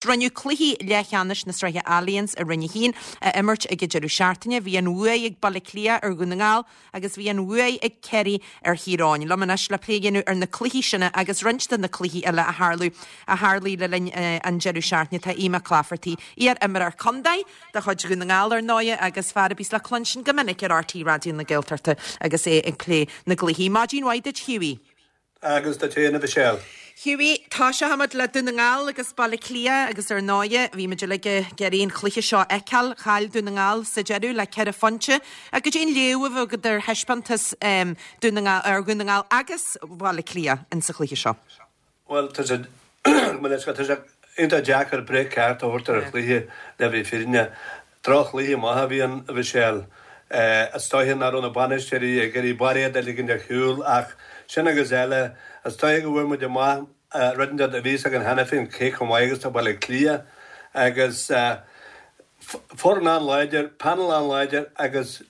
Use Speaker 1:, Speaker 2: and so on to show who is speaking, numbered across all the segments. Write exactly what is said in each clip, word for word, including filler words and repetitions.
Speaker 1: Rinneadh cluichí leathcheannais na Sraithe Allianz i Roinn a hAon a imirt ag an deireadh seachtaine. Bhí an bhuaidh ag Baile Átha Cliath ar Dhún na nGall agus bhí an bhuaidh ag Ciarraí ar Thír Eoghain. Liom anois le plé a dhéanamh ar na cluichí sin agus roinnt de na cluichí eile a tharla a tharlaigh le linn uh, an deireadh seachtaine tá Aodh Mac Laifeartaigh, iar-imreoir contae de chuid Dhún na nGall ar ndóigh agus fear a bhíos le cluinstin go minic ar R T Raidió na Gaeltachta agus é ag plé na gcluichí. Maidin mhaith duit, Hughie.
Speaker 2: Agus duit féin, a Mhichelle.
Speaker 1: Hughie, tosóimid le Dún na nGall agus Baile Átha Cliath agus ar ndóigh bhí muid ag iarraidh an cluiche seo a fheiceáil. Chaill Dún na nGall sa deireadh le ceithre phointe. Agus cén léamh a bhí agat ar thaispeántas um, Dún na nGall ar Dhún na nGall agus Baile Átha Cliath in sa chluiche seo.
Speaker 2: Well, tá sé tá sé iontach deacair breith ceart a thabhairt ar an chluiche le bheith fírinneach. Droch-chluiche maith a bhí ann, a Mhichelle. Is dóiche nach raibh na bainisteoirí ag iarraidh bairéad a ligean ar shiúl ach sin agus eile is dóiche go bhfuair muid amach rud a bhí againn cheana féin cé chomh maith agus tá Baile Átha Cliath agus foireann an-láidir, panel an-láidir agus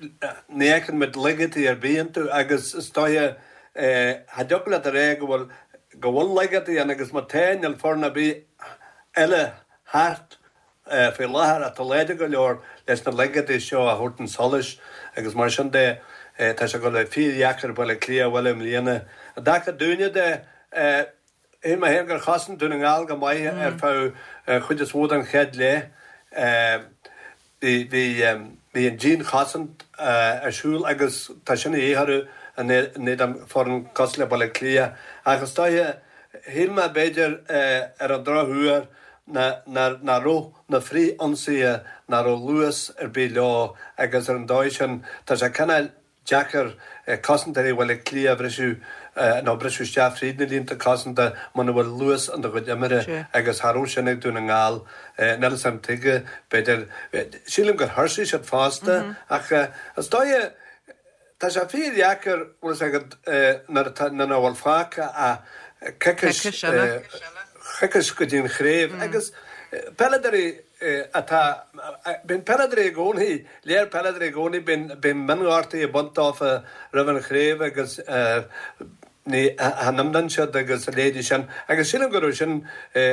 Speaker 2: ní fheiceann muid laigeachtaí ar bith iontu agus is dóiche cha dtiocfadh leat a rá go bhfuil go bhfuil laigeachtaí ann agus má tá níl foireann ar bith eile thart faoi láthair atá láidir go leor leis na laigeachtaí seo a thabhairt chun solais agus mar sin de tá sé go le fíordheacair Baile Átha Cliath a bhualadh i mbliana. I dtaca dúinne de shíl mé féin gur chosain Dún na nGall go maith ar feadh chuid is mó den chéad leath. Bhí bhí an dianchosaint ar siúl agus tá sin de dhíth orthu in éadan foireann cosúil le Baile Átha Cliath. Ach is dóiche shíl mé b'fhéidir ar an drochuair nach raibh na frith-ionsaithe nach raibh luas ar bith leo agus ar an dóigh sin tá sé cineál deacair cosantóirí Bhaile Átha Cliath a bhriseadh nó briseadh isteach fríd na línte cosanta muna bhfuil luas in do chuid imeartha agus cha raibh sin ag Dún na nGall. Níl a fhios agam tuige b'fhéidir sílim gur thuirsigh siad fosta ach is dóiche tá sé fíordheacair bhfuil a fhios agat nuair atá nuair nach bhfuil fágtha ach coicís coicís go dtí an chraobh agus peileadóirí atá bíonn peileadóirí i gcónaí léir peileadóirí i gcónaí bíonn bíonn mionghortaí ag baint dófa roimh an chraobh agus ní chan imríonn siad agus a leithéidí sin agus sílim go raibh sin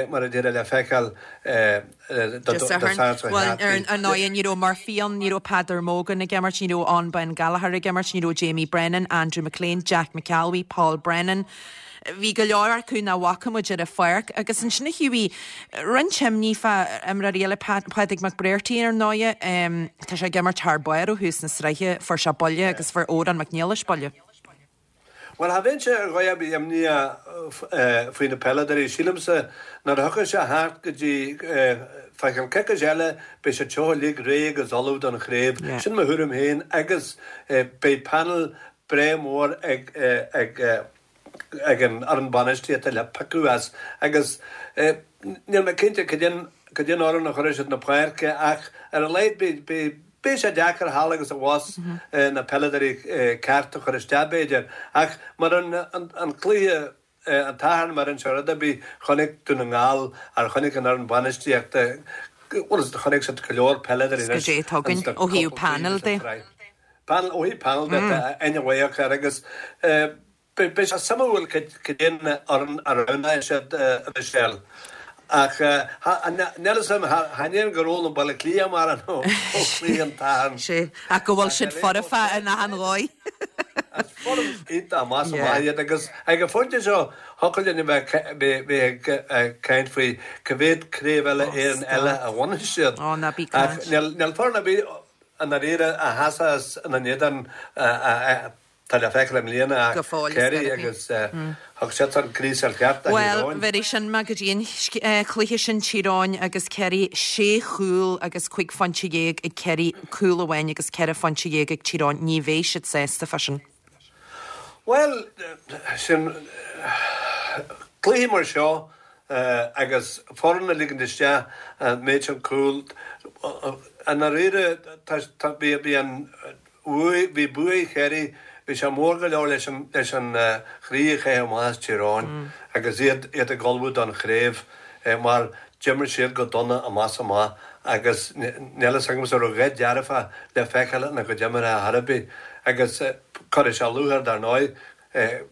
Speaker 2: mar a déarfá le feiceáil
Speaker 1: do Well ar ndóigh ní raibh Murphy ann, ní raibh Peadar Mogan ag imirt, ní raibh an Ben Gallagher ag imirt, ní raibh Jamie Brennan, Andrew McLean, Jack McAlwee, Paul Brennan. Bhí go leor acu nach bhfaca muid ar an pháirc agus ansin a Hughie roinnt imní fá imreoirí eile Pádraig McBrearty ar ndóigh tá sé ag imirt thar barr ó thús na sraithe fuair sé buille agus fuair Odhrán Mac Niallais buille.
Speaker 2: Well cha bheinnse ar dhóigh ar bith imníoch faoi na peileadóirí sílimse nuair a thiocfaidh sé thart go dtí fá cheann coicís eile beidh siad seo uilig réidh agus ullamh don chraobh. Sin mo thuairim féin agus beidh panel breá mór ag ag ag an fhoireann bainistíochta le piocadh as agus níl mé cinnte cad é cad é an fhoireann a chuirfidh siad na páirce ach ar a laghad beidh beidh sé deacair thall agus abhus na peileadóirí ceart a chur isteach b'fhéidir ach mar an an cluiche an tSathairn mar an rud ar bith chonaic Dún na nGall ar chonaic an fhoireann bainistíochta bhuel chonaic siad go leor peileadóirí
Speaker 1: Go dté tugann ó thaobh panel de.
Speaker 2: Panel ó thaobh panel de aine mhaith air agus beidh sé suimiúil cad é an fhoireann a roghnóidh siad a Mhichelle. Ach níl a fhios agam chan é gur fhoghlaim Baile Átha Cliath mar an ó chluiche an tSathairn.
Speaker 1: Sé ach go bhfuil siad foirfe in achan dhóigh.
Speaker 2: Is foireann iontach amach amach iad agus ag an phointe seo thiocfadh linn a bheith ag caint faoi cá mhéad craobh eile Éireann eile a bhainfidh siad.
Speaker 1: Ó ná bí
Speaker 2: Ach
Speaker 1: caint.
Speaker 2: níl foireann ar bith i ndáiríre a sheasfas ina n-éadan tá le feiceáil i mbliana
Speaker 1: Go fóill is
Speaker 2: Kerry
Speaker 1: teiripí.
Speaker 2: agus thug siad an gríosáil cheart do Thír
Speaker 1: Well,
Speaker 2: Eoghain.
Speaker 1: bheir sin me go dtí an cluiche sin Tír Eoghain agus Kerry sé chúl agus cúig phointe dhéag ag Kerry cúl amháin agus ceithre phointe dhéag ag Tír Eoghain ní bheidh siad sásta fá sin.
Speaker 2: Well, sin cluiche mar seo agus foireann a ligean isteach an méid sin cúl i ndáiríre bhí bhí an bhí bua Chiarraí bhí sé mór go leor leis an leis an chroí a chaitheamh amach as Tír Eoghain agus iad iad ag ullmhú don chraobh mar d'imir siad go dona amach amach agus níl a fhios agam an raibh a dhath dearfa le feiceáil ina gcuid imeartha ar chor ar bith agus cuirfidh sé lúcháir dar ndóigh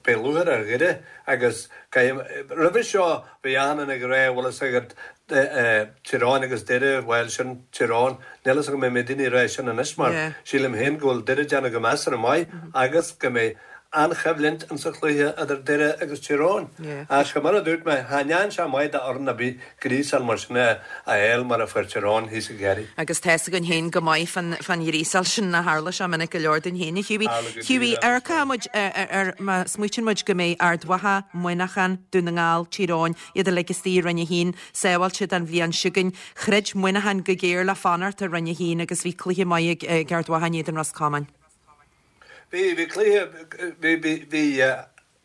Speaker 2: beidh lúcháir ar Dhoire agus roimhe seo bhí achan duine ag rá bhfuil a fhios agat Tír Eoghain agus Doire, bhuel, sin Tír Eoghain, níl fhios agam an mbeidh daoine ag rá sin anois mar sílim féin go bhfuil Doire ag déanamh go measartha maith agus go mbeidh an-choimhlint insa chluiche idir Doire agus Tír Eoghain. Ach mar a dúirt mé, cha ndearna sé maith d'fhoireann ar bith gríosáil mar sin a fháil mar a fuair Tír Eoghain thíos i gCiarraí.
Speaker 1: Agus tá's againn féin go maith fán fán ghríosáil sin a tharla sé minic go leor dúinn féin, a Hughie. Hughie, amharcann muid ar má smaoitíonn muid go mbeidh Ard Mhacha, Muineachán, Dún na nGall, Tír Eoghain, iad uilig istigh i Roinn a hAon, sábháilte don bhliain seo chugainn. Throid Muineachán go géar le fanacht i Roinn a hAon agus bhí cluiche maith ag Ard Mhacha in éadan Ros Comáin.
Speaker 2: Bhí, bhí cluiche, bhí, bhí, bhí,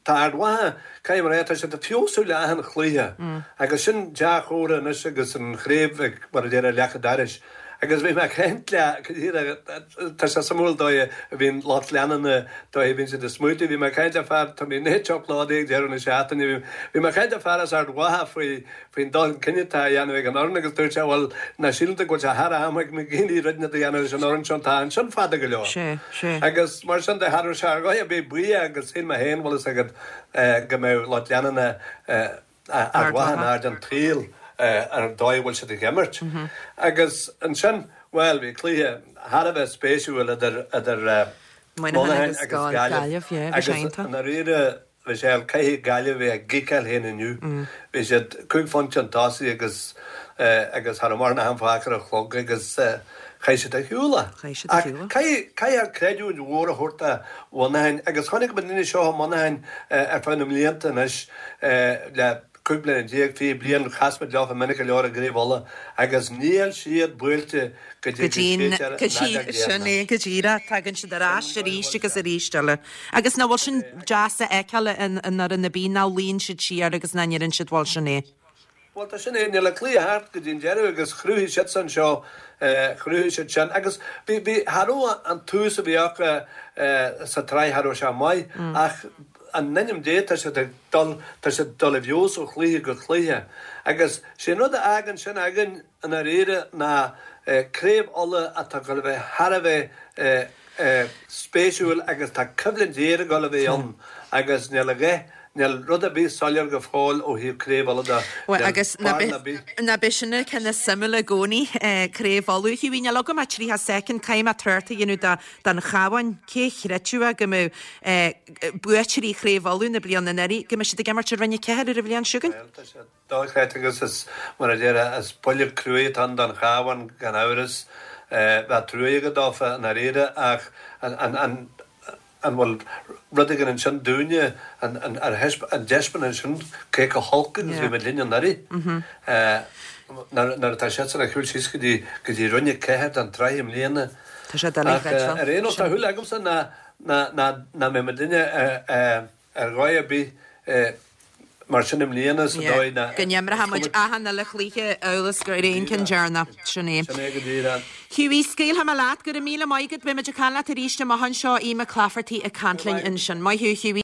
Speaker 2: tá Ard Mhacha, caithfidh mé a rá, tá siad ag feabhsú le achan chluiche agus sin dea-chomhartha anois agus an chraobh ag, mar a déarfá, leac an dorais. Agus bhí mé ag caint le, tá sé suimiúil dóigh a bhíonn lucht leanúna, dóigh a bhíonn siad ag smaoitiú, bhí mé ag caint le fear, tá mé in teach Lódaí ag deireadh na seachtaine, bhí, bhí mé ag caint le fear as Ard Mhacha faoi, faoin dul chun cinn atá á dhéanamh ag an fhoireann agus dúirt sé, bhuel, nach síleann tú go bhfuil sé thar am ag McGeeney rud inteacht a dhéanamh leis an fhoireann seo, tá ansin fada go leor.
Speaker 1: Sé, sé.
Speaker 2: Agus mar sin de, cha raibh sé ar dhóigh ar bith buíoch agus shíl mé féin, bhfuil fhios agat, go mbeadh lucht leanúna Ard Mhacha in airde an tsaoil ar an dóigh a bhfuil siad ag imirt. Agus ansin, bhuel, bhí cluiche thar a bheith spéisiúil idir, idir
Speaker 1: Muineachán agus Gaillimh,
Speaker 2: agus i ndáiríre, Michelle, caithfidh Gaillimh a bheith ag giceáil féin inniu. Bhí siad cúig phointe chun tosaigh agus agus cha raibh mórán ama fágtha ar an chlog agus chaith siad ar shiúl é. Ach caithfidh caithfidh creidiúint mhór a thabhairt do Mhuineachán agus chonaic muid na daoine seo i Muineachán ar feadh na mblianta anois le cúig bliana déag, fiche bliain, chas muid leofa minic go leor i gCraobh Uladh agus níl siad buailte go
Speaker 1: dtí go séidtear an fheadóg Sin é go díreach, tagann siad ar ais arís agus arís eile. Agus nach bhfuil sin deas a fheiceáil in fhoireann ar bith nach luíonn siad siar agus nach ndeireann siad bhuel sin é.
Speaker 2: Bhuel tá sin é, níl an cluiche thart go dtí an deireadh agus chruthaigh siadsan seo, chruthaigh siad sin agus bhí, bhí, cha raibh an tús a bhí acu sa tsraith, cha raibh sé maith ach in ainm Dé tá siad ag dul, tá siad ag dul i bhfeabhas ó chluiche go cluiche agus sé an rud a fhágann sin againn i ndáiríre ná Craobh Uladh atá ag dul a bheith thar a bheith spéisiúil agus tá coimhlint ghéar ag dul a bheith ann agus níl a dhath, níl rud ar bith soiléir go fóill ó thaobh Craobh Uladh de,
Speaker 1: Bhuel
Speaker 2: níl
Speaker 1: agus ná
Speaker 2: barúil ar bith.
Speaker 1: ná b'é sin an ceann is suimiúla i gcónaí, Craobh Uladh. Hughie, níl agam ach tríocha soicind, caithfidh mé trácht a dhéanamh de don Chabhán, cé chreidfeadh go mbeadh buaiteoirí Chraobh Uladh na bliana anuraidh, go mbeadh siad ag imirt i Roinn a Ceathair ar an bhliain seo chugainn?
Speaker 2: Bhuel, tá sé dochreidte agus is, mar a déarfá, is buille cruaidh atá ann don Chabhán gan amhras. Bheadh trua agat dófa i ndáiríre ach an an bhfuil rud éigin ansin dúinne, an dtaispeánann sin cé chomh holc agus a bhí muid linn anuraidh nuair atá siadsan ag siúl síos go dtí go dtí Roinn a Ceathair den tsraith i mbliana.
Speaker 1: Tá sé doiligh
Speaker 2: Ach ar aon nós tá shúil agamsa ná ná ná mbeidh muid linne ar dhóigh ar bith mar sin i mbliana sa dóigh ná.
Speaker 1: Go n-imreoidh muid achan uile chluiche amhail is gur é an ceann deireanach. Sin é.
Speaker 2: Sin é go díreach.
Speaker 1: Hughie, scaoilfidh mé leat. Go raibh míle maith agat. Beidh muid ag caint leat arís amach anseo. Aodh Mac Laifeartaigh ag caint linn ansin. Maith thú, Hughie.